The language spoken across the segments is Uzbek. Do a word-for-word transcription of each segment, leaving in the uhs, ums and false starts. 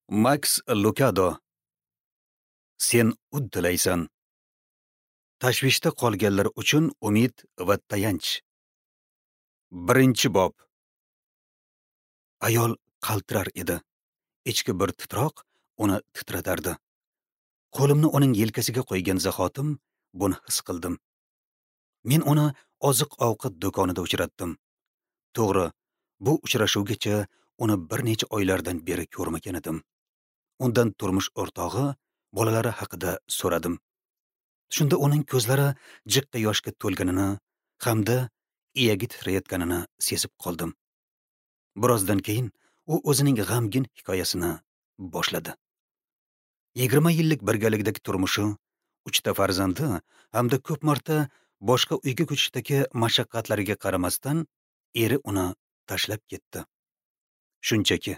Maks Lukado. Sen uddalaysan. Tashvishda qolganlar uchun umid va tayanch. Birinchi bob. Ayol qaltirar edi. Ichki bir titroq uni titratardi. Qo'limni uning yelkasiga qo'ygan zahotim buni his qildim. Men uni oziq-ovqat do'konida uchratdim. To'g'ri, bu uchrashuvgacha uni bir necha oylardan beri ko'rmagan edim. Undan turmush o'rtog'i, bolalari haqida so'radim. Shunda uning ko'zlari jiqqa yoshga to'lganini hamda iyagi titrayotganini sezib qoldim. Birozdan keyin u o'zining g'amgin hikoyasini boshladi. Yigirma yillik birgalikdagi turmushi, uchta farzandi hamda ko'p marta boshqa uyga ko'chishdagi mashaqqatlariga qaramasdan eri uni tashlab ketdi. Shunchaki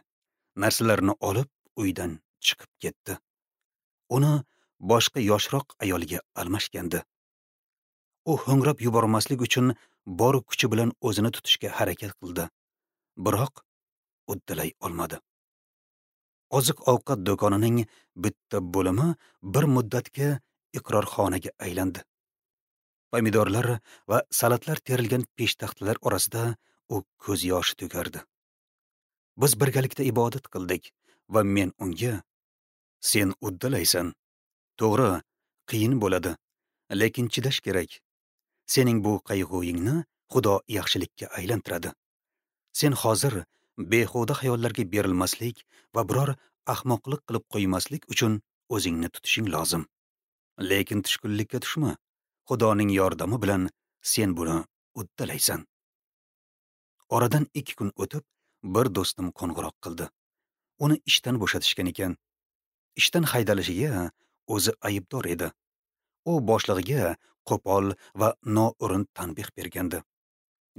narsalarini olib uydan chiqib ketdi. Uni boshqa yoshroq ayolga almashgandi. U ho'ngrab yubormaslik uchun bor kuchi bilan o'zini tutishga harakat qildi, biroq uddalay olmadi. Oziq-ovqat do'konining bitta bo'limi bir muddatga iqrorxonaga aylandi. Pomidorlar va salatlar terilgan peshtaxtalar orasida u ko'z yoshi to'kardi. Biz birgalikda ibodat qildik va men unga: "Sen uddalaysan. To'g'ri, qiyin bo'ladi, lekin chidash kerak. Sening bu qayg'uyingni Xudo yaxshilikka aylantiradi. Sen hozir behuda xayollarga berilmaslik va biror ahmoqlik qilib qo'ymaslik uchun o'zingni tutishing lozim. Lekin tushkunlikka tushma. Xudoning yordami bilan sen buni uddalaysan." Oradan ikki kun o'tib, bir do'stim qo'ng'iroq qildi. Uni ishdan bo'shatishgan ekan. Ishdan haydalishiga o'zi aybdor edi. U boshlig'iga qo'pol va noo'rin tanbeh bergandi.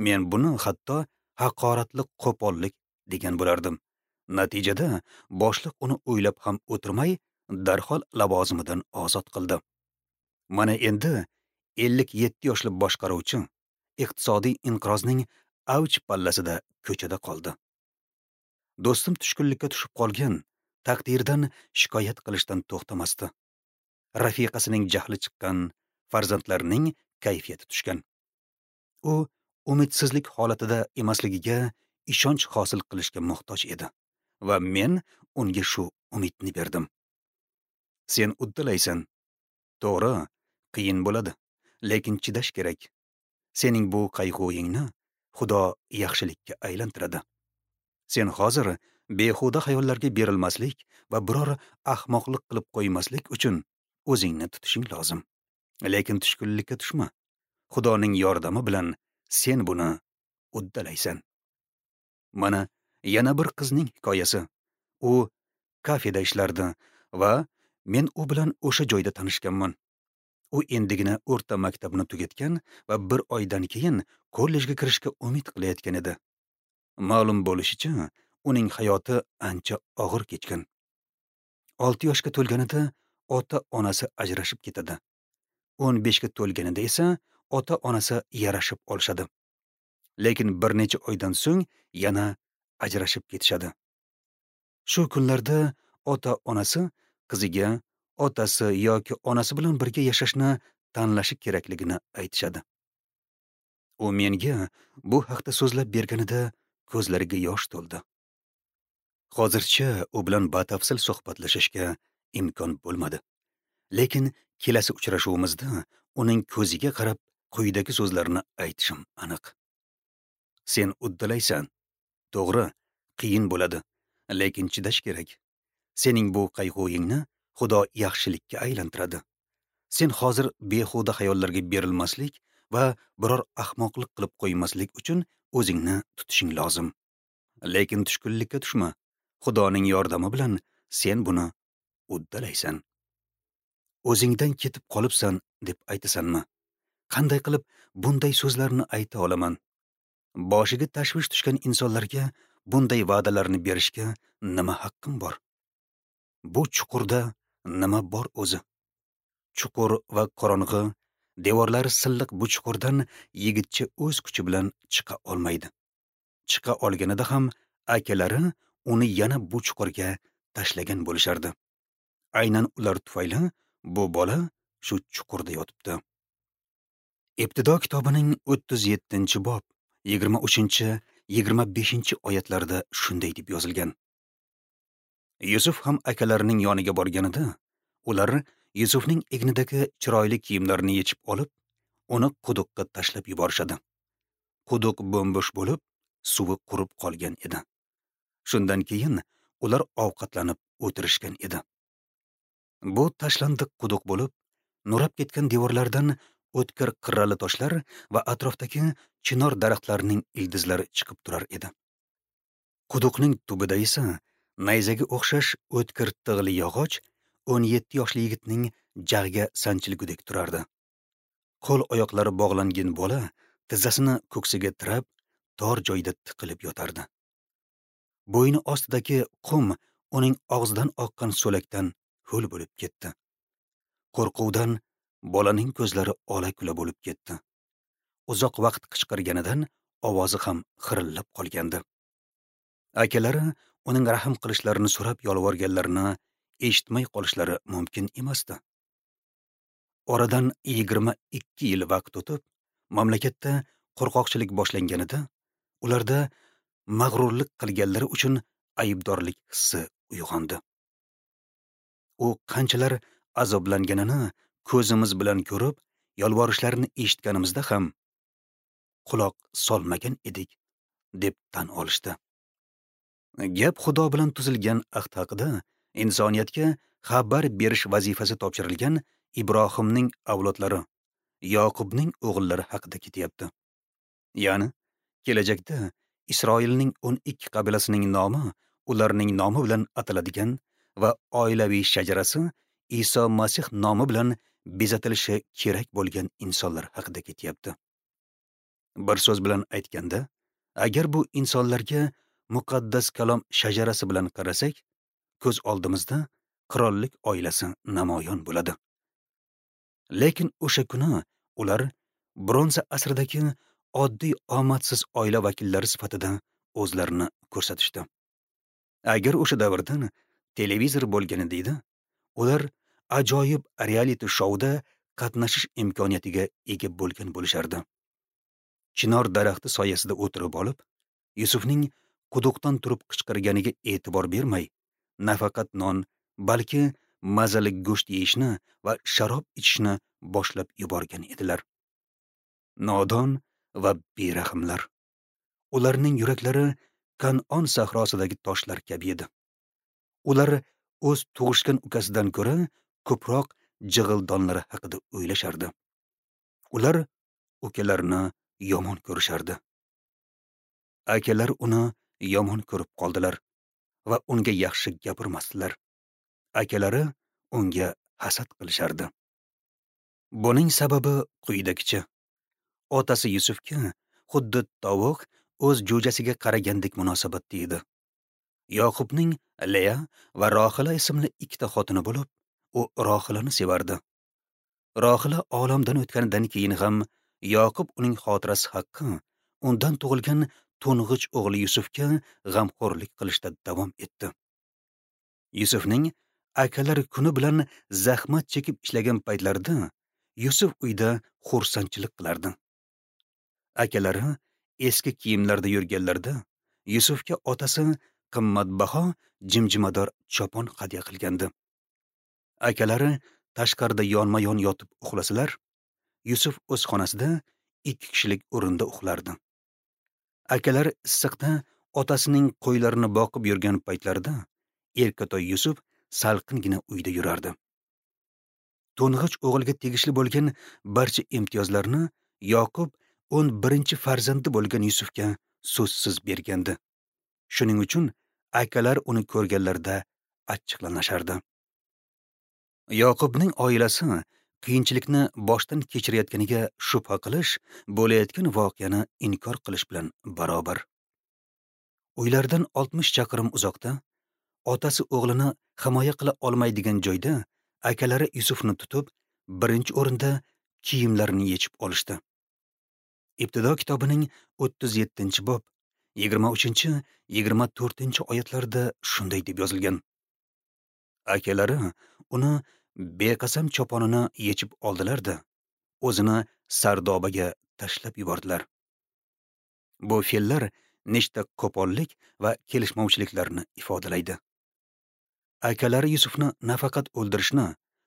Men buni hatto haqoratli qo'pollik degan bo'lardim. Natijada boshliq uni o'ylab ham o'tirmay, darhol lavozimidan ozod qildi. Mana endi ellik yetti yoshli boshqaruvchi iqtisodiy inqirozning avj pallasida ko'chada qoldi. Do'stim tushkunlikka tushib qolgan, taqdirdan shikoyat qilishdan to'xtamasdi. Rafiqasining jahli chiqqan, farzandlarining kayfiyati tushgan. U umidsizlik holatida emasligiga ishonch hosil qilishga muhtoj edi va men unga shu umidni berdim. Sen uddalaysan. To'g'ri, qiyin bo'ladi, lekin chidash kerak. Sening bu qayg'uyingni Xudo yaxshilikka aylantiradi. Sen hozir behuda xayollarga berilmaslik va biror ahmoqlik qilib qo'ymaslik uchun o'zingni tutishing lozim. Lekin tushkunlikka tushma. Xudoning yordami bilan sen buni uddalaysan. Mana yana bir qizning hikoyasi. U kafeda ishlardi va men u bilan o'sha joyda tanishganman. U endigina o'rta maktabni tugatgan va bir oydan keyin kollejga kirishga umid qilayotgan edi. Ma'lum bo'lishicha, uning hayoti ancha og'ir kechgan. Olti yoshga to'lganida ota-onasi ajrashib ketadi. o'n beshga to'lganida esa ota-onasi yarashib olishadi. Lekin bir necha oydan so'ng yana ajrashib ketishadi. Shu kunlarda ota-onasi qiziga otasi yoki onasi bilan birga yashashni tanlashi kerakligini aytishadi. U menga bu haqda so'zlab berganida ko'zlariga yosh to'ldi. Hozircha u bilan batafsil suhbatlashishga imkon bo'lmadi. Lekin kelasi uchrashuvimizda uning ko'ziga qarab quyidagi so'zlarni aytishim aniq. Sen uddalaysan. To'g'ri, qiyin bo'ladi, lekin chidash kerak. Sening bu qayg'uyingni Xudo yaxshilikka aylantiradi. Sen hozir behuda xayollarga berilmaslik va biror ahmoqlik qilib qo'ymaslik uchun o'zingni tutishing lozim. Lekin tushkunlikka tushma. Xudoning yordami bilan sen buni uddalaysan. O'zingdan ketib qolibsan deb aytasanmi? Qanday qilib bunday so'zlarni ayta olaman? Boshiga tashvish tushgan insonlarga bunday va'dalarni berishga nima haqqim bor? Bu chuqurda nima bor o'zi? Chuqur va qorong'i, devorlari silliq bu chuqurdan yigitcha o'z kuchi bilan chiqa olmaydi. Chiqa olganida ham akalari uni yana bu chuqurga tashlagan bo'lishardi. Aynan ular tufayli bu bola shu chuqurda yotibdi. Ibtido kitobining o'ttiz yettinchi bob yigirma uchinchi yigirma beshinchi oyatlarida shunday deb yozilgan. Yusuf ham akalarining yoniga borganida, ular Yusufning egnidagi chiroyli kiyimlarini yechib olib, uni quduqqa tashlab yuborishadi. Quduq bo'mbo'sh bo'lib, suvi qurib qolgan edi. Shundan keyin ular ovqatlanib o'tirishgan edi. Bu tashlandiq quduq bo'lib, nurab ketgan devorlardan o'tkir qirrali toshlar va atrofdagi chinor daraxtlarining ildizlari chiqib turar edi. Quduqning tubida esa nayzaga o'xshash o'tkir tig'li yog'och o'n yetti yoshli yigitning jag'iga sanchilgudek turardi. Qo'l oyoqlari bog'langan bola tizzasini ko'ksiga tirab, tor joyda tiqilib yotardi. Bo'yni ostidagi qum uning og'zidan oqqan so'lakdan ho'l bo'lib ketdi. Qo'rquvdan bolaning ko'zlari ola-kula bo'lib ketdi. Uzoq vaqt qichqirganidan ovozi ham xirillab qolgandi. Akalari uning rahm qilishlarini so'rab yolvorganlarini eshitmay qolishlari mumkin emasdi. Oradan yigirma ikki yil vaqt o'tib, mamlakatda qo'rqoqchilik boshlanganida, ularda mag'rurlik qilganlari uchun aybdorlik hissi uyg'ondi. U qanchalar azoblanganini ko'zimiz bilan ko'rib, yolvorishlarini eshitganimizda ham quloq solmagan edik, deb tan olishdi. Gap Xudo bilan tuzilgan ahd haqida insoniyatga xabar berish vazifasi topshirilgan Ibrohimning avlodlari, Yoqubning o'g'illari haqida ketyapti. Ya'ni kelajakda Isroilning o'n ikki qabilasining nomi ularning nomi bilan ataladigan va oilaviy shajarasi Iso Masih nomi bilan bezatilishi kerak bo'lgan insonlar haqida ketyapti. Bir so'z bilan aytganda, agar bu insonlarga muqaddas kalom shajarasi bilan qarasak, ko'z oldimizda qirollik oilasi namoyon bo'ladi. Lekin o'sha kuni ular bronza asridagi oddiy omadsiz oila vakillari sifatida o'zlarini ko'rsatishdi. Agar o'sha davrda televizor bo'lganida edi, ular ajoyib reality shouda qatnashish imkoniyatiga ega bo'lgan bo'lishardi. Chinor daraxti soyasida o'tirib olib, Yusufning quduqdan turib qichqirganiga e'tibor bermay, nafaqat non, balki mazali go'sht yeyishni va sharob ichishni boshlab yuborgan edilar. Nodon va berahmlar. Ularning yuraklari Kan'on sahrosidagi toshlar kabi edi. Ular o'z tug'ishgan ukasidan ko'ra ko'proq jig'ildonlari haqida o'ylashardi. Ular ukalarini yomon ko'rishardi. Akalar uni yomon ko'rib qoldilar va unga yaxshi gapirmasdilar. Akalari unga hasad qilishardi. Buning sababi quyidagicha. Otasi Yusufga xuddi tovuq o'z jo'jasiga qaragandek munosabatda edi. Yoqubning Leya va Rohila ismli ikkita xotini bo'lib, u Rohilani sevardi. Rohila olamdan o'tganidan keyin ham Yoqub uning xotirasi haqqi undan tug'ilgan to'ng'ich o'g'li Yusufga g'amxo'rlik qilishda davom etdi. Yusufning akalari kuni bilan zahmat chekib ishlagan paytlarida Yusuf uyda xursandchilik qilardi. Akalari eski kiyimlarda yurganlarida Yusufga otasi qimmatbaho jimjimador chopon hadya qilgandi. Akalari tashqarida yonma-yon yotib uxlasalar, Yusuf o'z xonasida ikki kishilik o'rinda uxlardi. Akalari issiqda otasining qo'ylarini boqib yurgan paytlarida erkatoy Yusuf salqingina uyda yurardi. To'ng'ich o'g'ilga tegishli bo'lgan barcha imtiyozlarni Yoqub o'n birinchi farzandi bo'lgan Yusufga so'zsiz bergandi. Shuning uchun akalar uni ko'rganlarida achchiqlanishardi. Yoqubning oilasi qiyinchilikni boshdan kechirayotganiga shubha qilish, bo'layotgan voqeani inkor qilish bilan barobar. Uylardan oltmish chaqirim uzoqda, otasi o'g'lini himoya qila olmaydigan joyda akalari Yusufni tutib, birinchi o'rinda kiyimlarini yechib olishdi. Ibtido kitobining o'ttiz yettinchi bob yigirma uchinchi yigirma to'rtinchi oyatlarida shunday deb yozilgan. Akalari uni beqasam choponini yechib oldilar-da, o'zini sardobaga tashlab yubordilar. Bu fe'llar nechta qo'pollik va kelishmovchiliklarni ifodalaydi. Akalari Yusufni nafaqat o'ldirishni,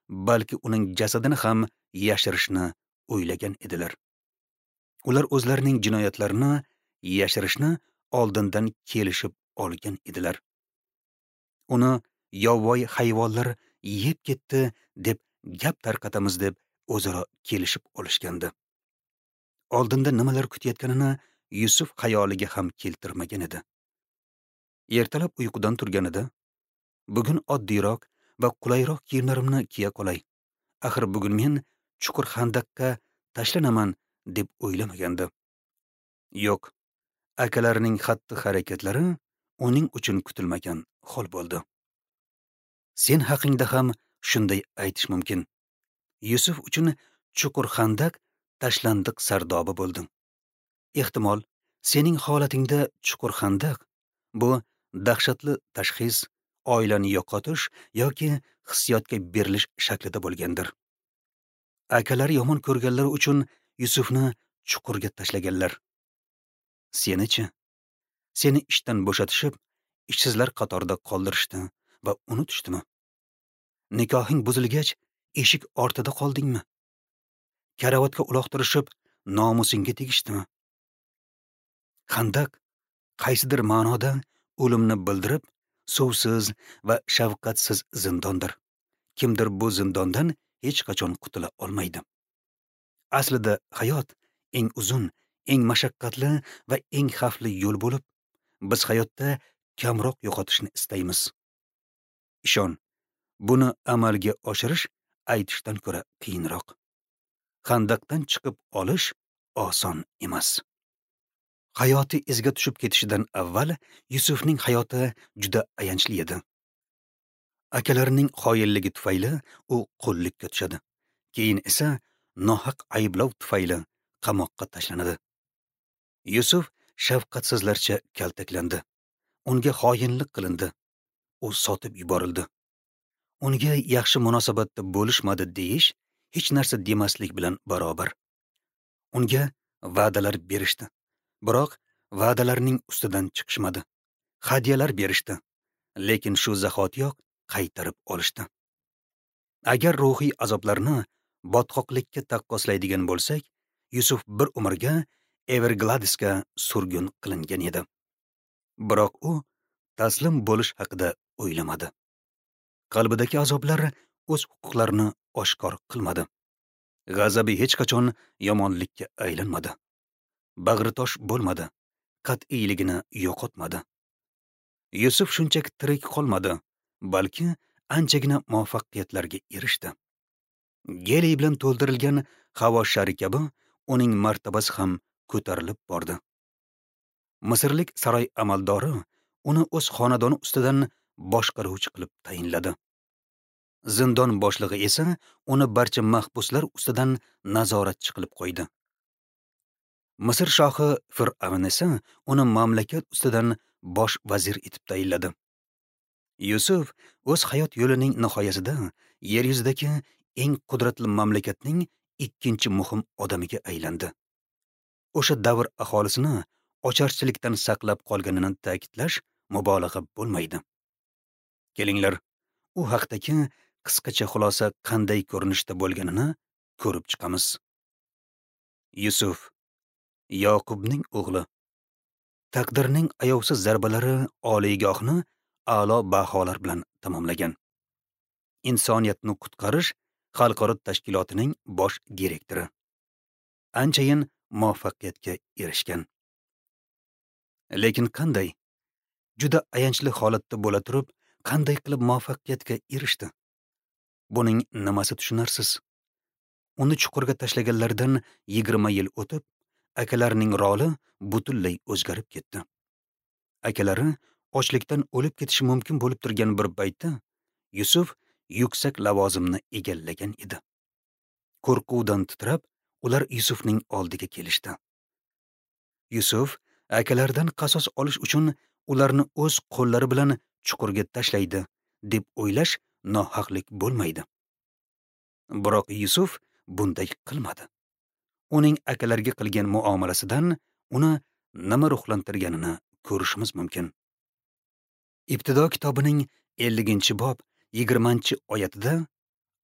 balki uning jasadini ham yashirishni o'ylagan edilar. Ular o'zlarining jinoyatlarini yashirishni oldindan kelishib olgan edilar. Uni yovvoyi hayvonlar yeb ketdi deb gap tarqatamiz deb o'zaro kelishib olishgandi. Oldinda nimalar kutayotganini Yusuf xayoliga ham keltirmagan edi. Ertalab uyqudan turganida, bugun oddiyroq va qulayroq kiyimlarimni kiya qolay. Axir bugun men chuqur xandaqqa tashlanaman deb o'ylamagandi. Yo'q, akalarining xatti-harakatlari uning uchun kutilmagan hol bo'ldi. Sen haqingda ham shunday aytish mumkin. Yusuf uchun chuqur xandaq tashlandiq sardoba bo'ldi. Ehtimol, sening holatingda chuqur xandaq bu dahshatli tashxis, oilani yo'qotish yoki hissiyotga berilish shaklida bo'lgandir. Akalari yomon ko'rganlar uchun Yusufni chuqurga tashlaganlar. Seni-chi? Seni ishdan bo'shatishib, ishsizlar qatorida qoldirishdi va unutishdimi? Nikohing buzilgach, eshik ortida qoldingmi? Karavotga uloqtirishib, nomusingga tegishdimi? Xandaq qaysidir ma'noda o'limni bildirib, suvsiz va shafqatsiz zindondir. Kimdir bu zindondan hech qachon qutula olmaydi. Aslida hayot eng uzun, eng mashaqqatli va eng xavfli yo'l bo'lib, biz hayotda kamroq yo'qotishni istaymiz. Ishon, buni amalga oshirish aytishdan ko'ra qiyinroq. Xandaqdan chiqib olish oson emas. Hayoti izga tushib ketishidan avval Yusufning hayoti juda ayanchli edi. Akalarining xoinligi tufayli u qullikka tushadi. Keyin esa nohaq ayblov tufayli qamoqqa tashlanadi. Yusuf shafqatsizlarcha kaltaklandi. Unga xoinlik qilindi. U sotib yuborildi. Unga yaxshi munosabatda bo'lishmadi deyish hech narsa demaslik bilan barobar. Unga va'dalar berishdi. Biroq va'dalarning ustidan chiqishmadi. Hadyalar berishdi, lekin shu zahotiyoq qaytarib olishdi. Agar ruhiy azoblarni botqoqlikka taqqoslaydigan bo'lsak, Yusuf bir umrga Evergladesga surgun qilingan edi. Biroq u taslim bo'lish haqida o'ylamadi. Qalbidagi azoblar o'z huquqlarini oshkor qilmadi. G'azabi hech qachon yomonlikka aylanmadi. Bag'ri tosh bo'lmadi, qat'iyligini yo'qotmadi. Yusuf shunchaki tirik qolmadi, balki anchagina muvaffaqiyatlarga erishdi. Geliy bilan to'ldirilgan havo shari kabi uning martabasi ham ko'tarilib bordi. Misrlik saroy amaldori uni o'z xonadoni ustidan boshqaruvchi qilib tayinladi. Zindon boshlig'i esa uni barcha mahbuslar ustidan nazoratchi qilib qo'ydi. Misr shohi Fir'avn esa uni mamlakat ustidan bosh vazir etib tayinladi. Yusuf o'z hayot yo'lining nihoyasida yer yuzidagi eng qudratli mamlakatning ikkinchi muhim odamiga aylandi. O'sha davr aholisini ocharchilikdan saqlab qolganini ta'kidlash mubolag'a bo'lmaydi. Kelinglar, u haqdagi qisqacha xulosa qanday ko'rinishda bo'lganini ko'rib chiqamiz. Yusuf Yoqubning o'g'li. Taqdirning ayovsiz zarbalari oliygohni a'lo baholar bilan tamomlagan. Insoniyatni qutqarish xalqaro tashkilotining bosh direktori. Anchayin muvaffaqiyatga erishgan. Lekin qanday? Juda ayanchli holatda bo'la turib, qanday qilib muvaffaqiyatga erishdi? Buning nimasi tushunarsiz? Uni chuqurga tashlaganlardan yigirma yil o'tib, akalarining roli butunlay o'zgarib ketdi. Akalari ochlikdan o'lib ketishi mumkin bo'lib turgan bir paytda Yusuf yuksak lavozimni egallagan edi. Qo'rquvdan titrab, ular Yusufning oldiga kelishdi. Yusuf akalaridan qasos olish uchun ularni o'z qo'llari bilan chuqurga tashlaydi deb o'ylash nohaqlik bo'lmaydi. Biroq Yusuf bunday qilmadi. Uning akalariga qilgan muomalasidan uni nima ruhlantirganini ko'rishimiz mumkin. Ibtido kitobining elliginchi bob yigirmanchi oyatida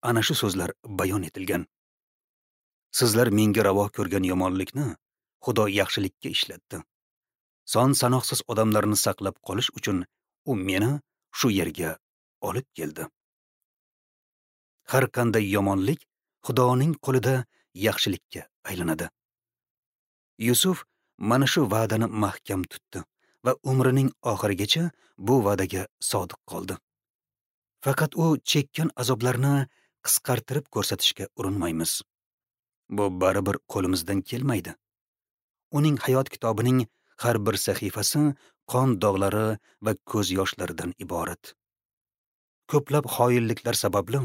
ana shu so'zlar bayon etilgan. Sizlar menga ravo ko'rgan yomonlikni Xudo yaxshilikka ishlatdi. Son sanoqsiz odamlarni saqlab qolish uchun u meni shu yerga olib keldi. Har qanday yomonlik Xudoning qo'lida yaxshilikka aylanadi. Yusuf mana shu va'dani mahkam tutdi va umrining oxirigacha bu va'daga sodiq qoldi. Faqat u chekkan azoblarni qisqartirib ko'rsatishga urinmaymiz. Bu baribir qo'limizdan kelmaydi. Uning hayot kitobining har bir sahifasi qon dog'lari va ko'z yoshlaridan iborat. Ko'plab xoinliklar sababli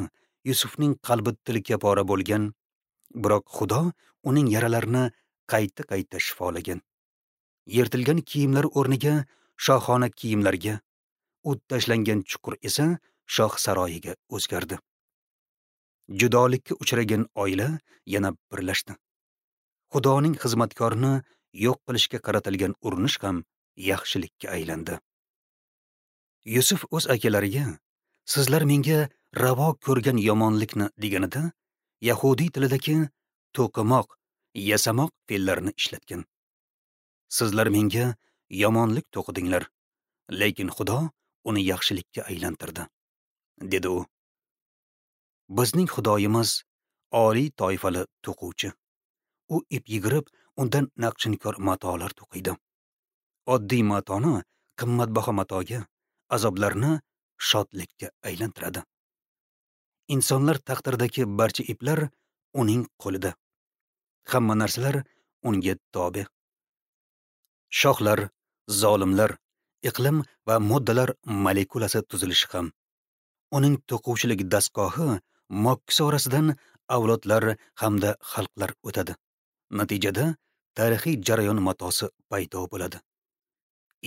Yusufning qalbi tilka pora bo'lgan, biroq Xudo uning yaralarini qayta-qayta shifolagan. Yirtilgan kiyimlar o'rniga shohona kiyimlarga, o't tashlangan chuqur esa shoh saroyiga o'zgardi. Judolikka uchragan oila yana birlashdi. Xudoning xizmatkorini yo'q qilishga qaratilgan urinish ham yaxshilikka aylandi. Yusuf o'z akalariga "Sizlar menga ravo ko'rgan yomonlikni" deganida yahudiy tilidagi to'qimoq, yasamoq fe'llarini ishlatgan. Sizlar menga yomonlik to'qidinglar, lekin Xudo uni yaxshilikka aylantirdi, dedi u. Bizning Xudoyimiz oliy toifali to'quvchi. U ip yigirib, undan naqshinkor matolar to'qiydi. Oddiy matoni qimmatbaho matoga, azoblarni shodlikka aylantiradi. Insonlar taqdiridagi barcha iplar uning qo'lida. Hamma narsalar unga tobe. Shohlar, zolimlar, iqlim va moddalar molekulasi tuzilishi ham. Uning to'quvchilik dastgohi mokkisi orasidan avlodlar hamda xalqlar o'tadi. Natijada tarixiy jarayon matosi paydo bo'ladi.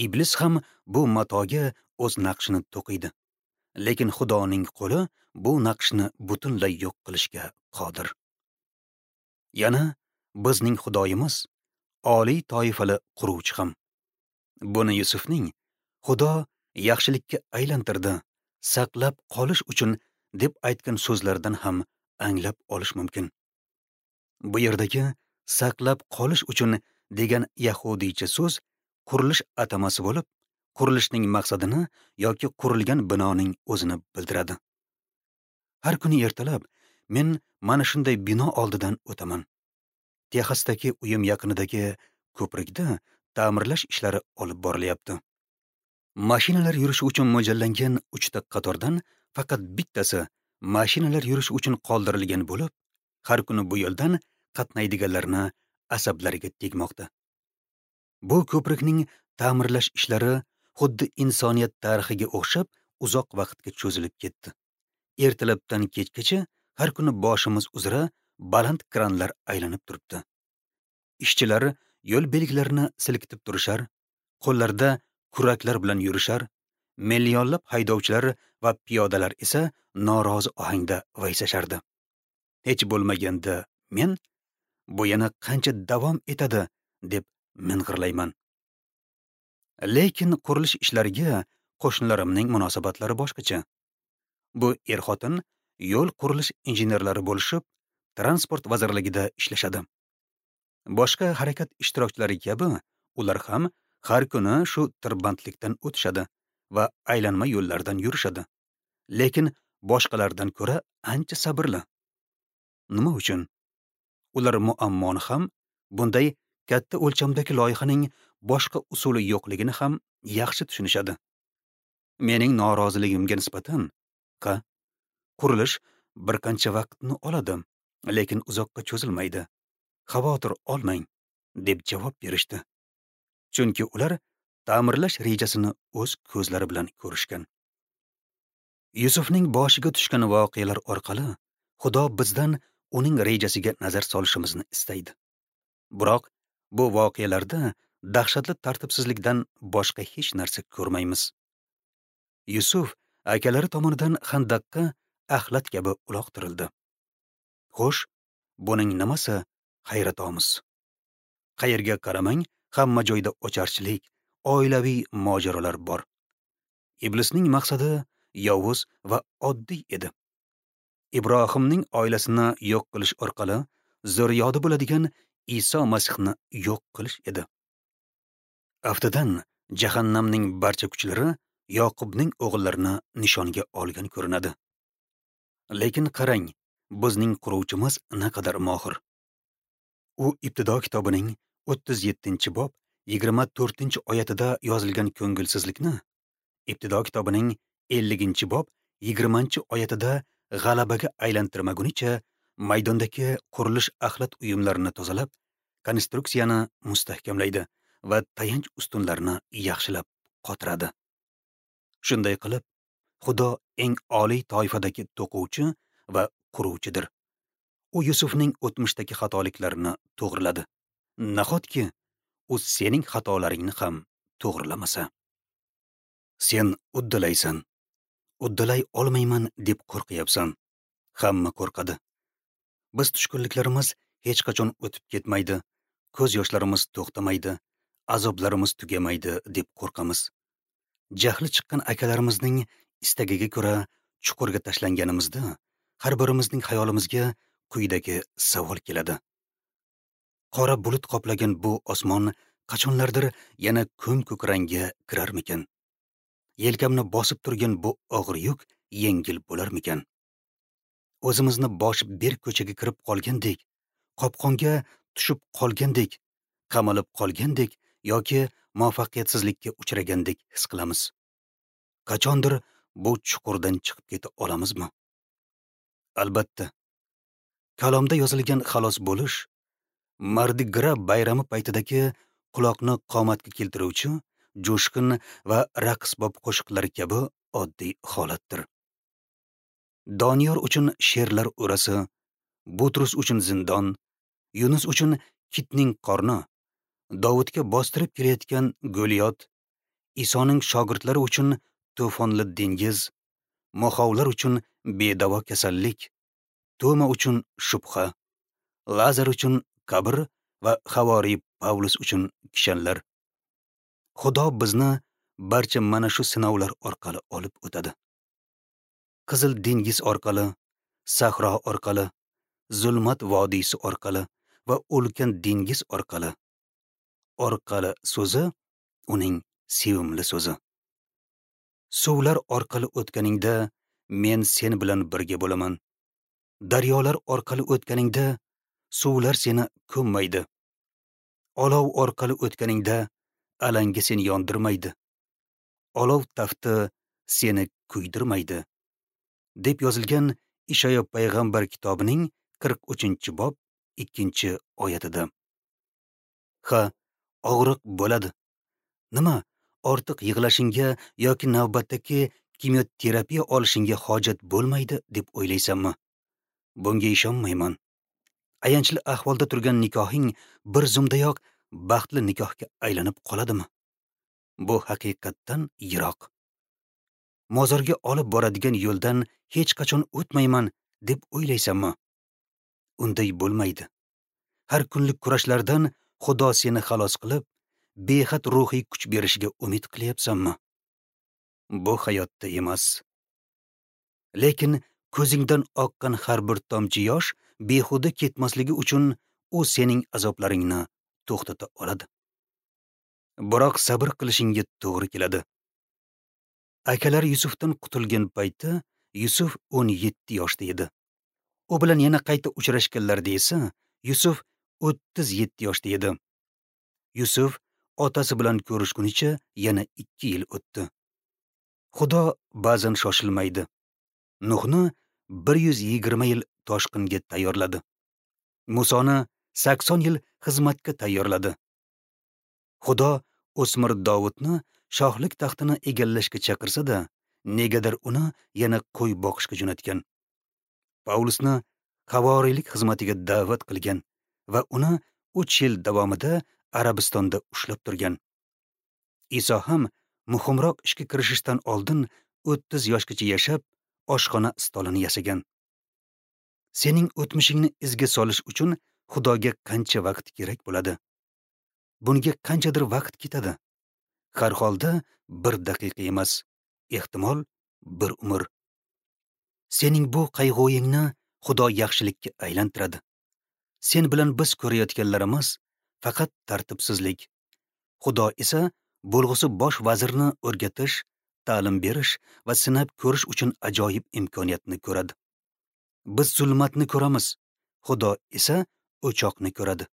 Iblis ham bu matoga o'z naqshini to'qiydi. Lekin Xudoning qo'li bu naqshni butunlay yo'q qilishga qodir. Yana bizning Xudoyimiz oliy toifali quruvchi ham. Buni Yusufning Xudo yaxshilikka aylantirdi, saqlab qolish uchun deb aytgan so'zlardan ham anglab olish mumkin. Bu yerdagi saqlab qolish uchun degan yahudiycha so'z qurilish atamasi bo'lib, qurilishning maqsadini yoki qurilgan binoning o'zini bildiradi. Har kuni ertalab men mana shunday bino oldidan o'taman. Texasdagi uyim yaqinidagi ko'prikda ta'mirlash ishlari olib borilyapti. Mashinalar yurishi uchun mo'ljallangan uchta qatordan faqat bittasi mashinalar yurishi uchun qoldirilgan bo'lib, har kuni bu yo'ldan qatnaydiganlarni asablariga tegmoqda. Bu ko'prikning ta'mirlash ishlari xuddi insoniyat tarixiga o'xshab uzoq vaqtga cho'zilib ketdi. Ertalabdan kechgacha har kuni boshimiz uzra baland kranlar aylanib turibdi. Ishchilar yo'l belgilarini silkitib turishar, qo'llarida kuraklar bilan yurishar, millionlab haydovchilar va piyodalar esa norozi ohangda vaysashardi. Hech bo'lmaganda men bu yana qancha davom etadi deb ming'irlayman. Lekin qurilish ishlariga qo'shnilarimning munosabatlari boshqacha. Bu er-xotin yo'l qurilish injenerlari bo'lishib, transport vazirligida ishlashadi. Boshqa harakat ishtirokchilari kabi ular ham har kuni shu tirbandlikdan o'tishadi va aylanma yo'llardan yurishadi. Lekin boshqalardan ko'ra ancha sabrli. Nima uchun? Ular muammoni ham, bunday katta o'lchamdagi loyihaning boshqa usuli yo'qligini ham yaxshi tushunishadi. Mening noroziligimga nisbatan, qa, qurilish bir qancha vaqtni oladi, lekin uzoqqa cho'zilmaydi. Xavotir olmang, deb javob berishdi. Chunki ular ta'mirlash rejasini o'z ko'zlari bilan ko'rishgan. Yusufning boshiga tushgan voqealar orqali Xudo bizdan uning rejasiga nazar solishimizni istaydi. Biroq bu voqealarda dahshatli tartibsizlikdan boshqa hech narsa ko'rmaymiz. Yusuf akalari tomonidan xandaqqa axlat kabi uloqtirildi. Xo'sh, buning nimasi hayratomuz? Qayerga qaramang, hamma joyda ocharchilik, oilaviy mojarolar bor. Iblisning maqsadi yovuz va oddiy edi. Ibrohimning oilasini yo'q qilish orqali zurriyodi bo'ladigan Iso Masihni yo'q qilish edi. Aftidan jahannamning barcha kuchlari Yoqubning o'g'illarini nishonga olgan ko'rinadi. Lekin qarang, bizning quruvchimiz naqadar mohir. U Ibtido kitobining o'ttiz yettinchi bob yigirma to'rtinchi oyatida yozilgan ko'ngilsizlikni Ibtido kitobining elliginchi bob yigirmanchi oyatida g'alabaga aylantirmagunicha maydondagi qurilish axlat uyumlarini tozalab, konstruksiyani mustahkamlaydi va tayanch ustunlarini yaxshilab qotiradi. Shunday qilib, Xudo eng oliy toifadagi to'quvchi va quruvchidir. U Yusufning o'tmishdagi xatoliklarini to'g'riladi. Nahotki u sening xatolaringni ham to'g'rilamasa? Sen uddalaysan. Uddalay olmayman deb qo'rqyapsan. Hamma qo'rqadi. Biz tushkunliklarimiz hech qachon o'tib ketmaydi, ko'z yoshlarimiz to'xtamaydi, azoblarimiz tugamaydi deb qo'rqamiz. Jahli chiqqan akalarimizning istagiga ko'ra chuqurga tashlanganimizda har birimizning xayolimizga quyidagi savol keladi. Qora bulut qoplagan bu osmon qachonlardir yana ko'm-ko'k rangga kirarmikan? Yelkamni bosib turgan bu og'ir yuk yengil bo'larmikan? O'zimizni boshi berk ko'chaga kirib qolgandek, qopqonga tushib qolgandek, qamalib qolgandek yoki muvaffaqiyatsizlikka uchragandek his qilamiz. Qachondir bu chuqurdan chiqib keta olamizmi? Albatta. Kalomda yozilgan xalos bo'lish Mardi Gras bayrami paytidagi quloqni qomatga keltiruvchi jo'shqin va raqsbob qo'shiqlar kabi oddiy holatdir. Doniyor uchun sherlar o'rasi, Butrus uchun zindon, Yunus uchun kitning qorni, Dovudga bostirib kelayotgan Goliyot, Isoning shogirdlari uchun to'fonli dengiz, moxovlar uchun bedavo kasallik, Toma uchun shubha, Lazar uchun qabr va havoriy Pavlus uchun kishanlar. Xudo bizni barcha mana shu sinovlar orqali olib o'tadi. Qizil dengiz orqali, sahro orqali, zulmat vodiysi orqali va ulkan dengiz orqali. Orqali so'zi uning sevimli so'zi. Suvlar orqali o'tganingda men sen bilan birga bo'laman. Daryolar orqali o'tganingda suvlar seni ko'mmaydi. Olov orqali o'tganingda alanga seni yondirmaydi. Olov tafti seni kuydirmaydi, deb yozilgan Ishoyo payg'ambar kitobining qirq uchinchi bob ikkinchi oyatida. Ha, og'riq bo'ladi. Nima, ortiq yig'lashingga yoki navbatdagi kimyoterapiya olishingga hojat bo'lmaydi deb o'ylaysanmi? Bunga ishonmayman. Ayanchli ahvolda turgan nikohing bir zumdayoq baxtli nikohga aylanib qoladimi? Bu haqiqatdan yiroq. Mozorga olib boradigan yo'ldan hech qachon o'tmayman deb o'ylaysanmi? Unday bo'lmaydi. Har kunlik kurashlardan Xudo seni xalos qilib, behad ruhiy kuch berishiga umid qilyapsanmi? Bu hayotda emas. Lekin ko'zingdan oqqan har bir tomchi yosh behuda ketmasligi uchun u sening azoblaringni to'xtata oladi. Biroq sabr qilishingga to'g'ri keladi. Akalar Yusufdan qutulgan paytda Yusuf o'n yetti yoshda edi. U bilan yana qayta uchrashganlarida esa Yusuf o'ttiz yetti yoshda edi. Yusuf otasi bilan ko'rishgunicha yana ikki yil o'tdi. Xudo ba'zan shoshilmaydi. Nuhni bir yuz yigirma yil toshqinga tayyorladi. Musoni sakson yil xizmatga tayyorladi. Xudo o'smir Dovudni shohlik taxtini egallashga chaqirsa-da, negadir uni yana qo'y boqishga jo'natgan. Pavlusni havoriylik xizmatiga da'vat qilgan va uni uch yil davomida Arabistonda ushlab turgan. Iso ham muhimroq ishga kirishishdan oldin o'ttiz yoshgacha yashab, oshxona stolini yasagan. Sening o'tmishingni izga solish uchun Xudoga qancha vaqt kerak bo'ladi? Bunga qanchadir vaqt ketadi. Har holda bir daqiqa emas, ehtimol bir umr. Sening bu qayg'uyingni Xudo yaxshilikka aylantiradi. Sen bilan biz ko'rayotganlarimiz faqat tartibsizlik. Xudo esa bo'lg'usi bosh vazirni o'rgatish, ta'lim berish va sinab ko'rish uchun ajoyib imkoniyatni ko'radi. Biz zulmatni ko'ramiz, Xudo esa o'choqni ko'radi.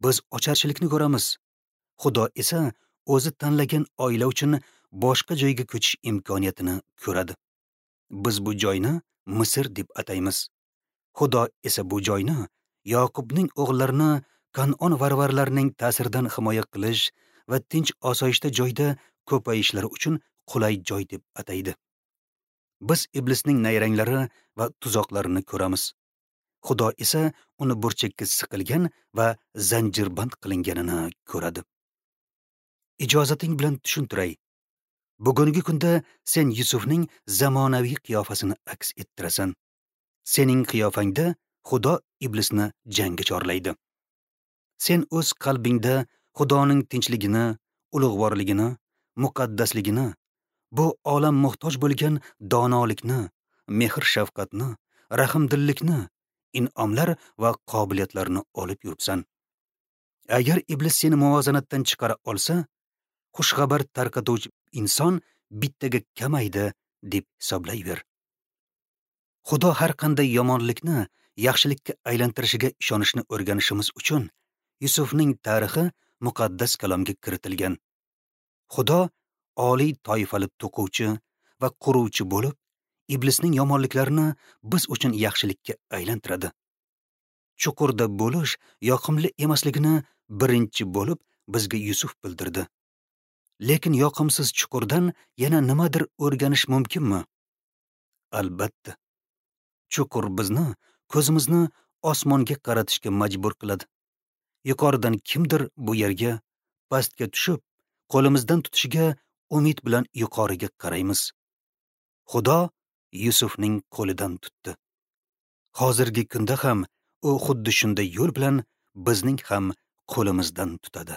Biz ocharchilikni ko'ramiz, Xudo esa o'zi tanlagan oila uchun boshqa joyga ko'chish imkoniyatini ko'radi. Biz bu joyni Misr deb ataymiz. Xudo esa bu joyni Yoqubning o'g'llarini Kan'on varvarlarining ta'siridan himoya qilish va tinch osoyishta joyda ko'payishlari uchun qulay joy deb ataydi. Biz iblisning nayranglari va tuzoqlarini ko'ramiz. Xudo esa uni burchakka siqilgan va zanjirband qilinganini ko'radi. Ijozating bilan tushuntiray. Bugungi kunda sen Yusufning zamonaviy qiyofasini aks ettirasan. Sening qiyofangda Xudo iblisni jangga chorlaydi. Sen o'z qalbingda Xudoning tinchligini, ulug'vorligini, muqaddasligini, bu olam muhtoj bo'lgan donolikni, mehr-shafqatni, rahmdillikni, in'omlar va qobiliyatlarni olib yuribsan. Agar iblis seni muvozanatdan chiqara olsa, xushxabar tarqatuvchi inson bittaga kamaydi deb hisoblayver. Xudo har qanday yomonlikni yaxshilikka aylantirishiga ishonishni o'rganishimiz uchun Yusufning tarixi muqaddas kalomga kiritilgan. Xudo oliy toifali to'quvchi va quruvchi bo'lib, iblisning yomonliklarini biz uchun yaxshilikka aylantiradi. Chuqurda bo'lish yoqimli emasligini birinchi bo'lib bizga Yusuf bildirdi. Lekin yoqimsiz chuqurdan yana nimadir o'rganish mumkinmi? Albatta. Chuqur bizni, ko'zimizni osmonga qaratishga majbur qiladi. Yuqoridan kimdir bu yerga, pastga tushib, qo'limizdan tutishiga umid bilan yuqoriga qaraymiz. Xudo Yusufning qo'lidan tutdi. Hozirgi kunda ham u xuddi shunday yo'l bilan bizning ham qo'limizdan tutadi.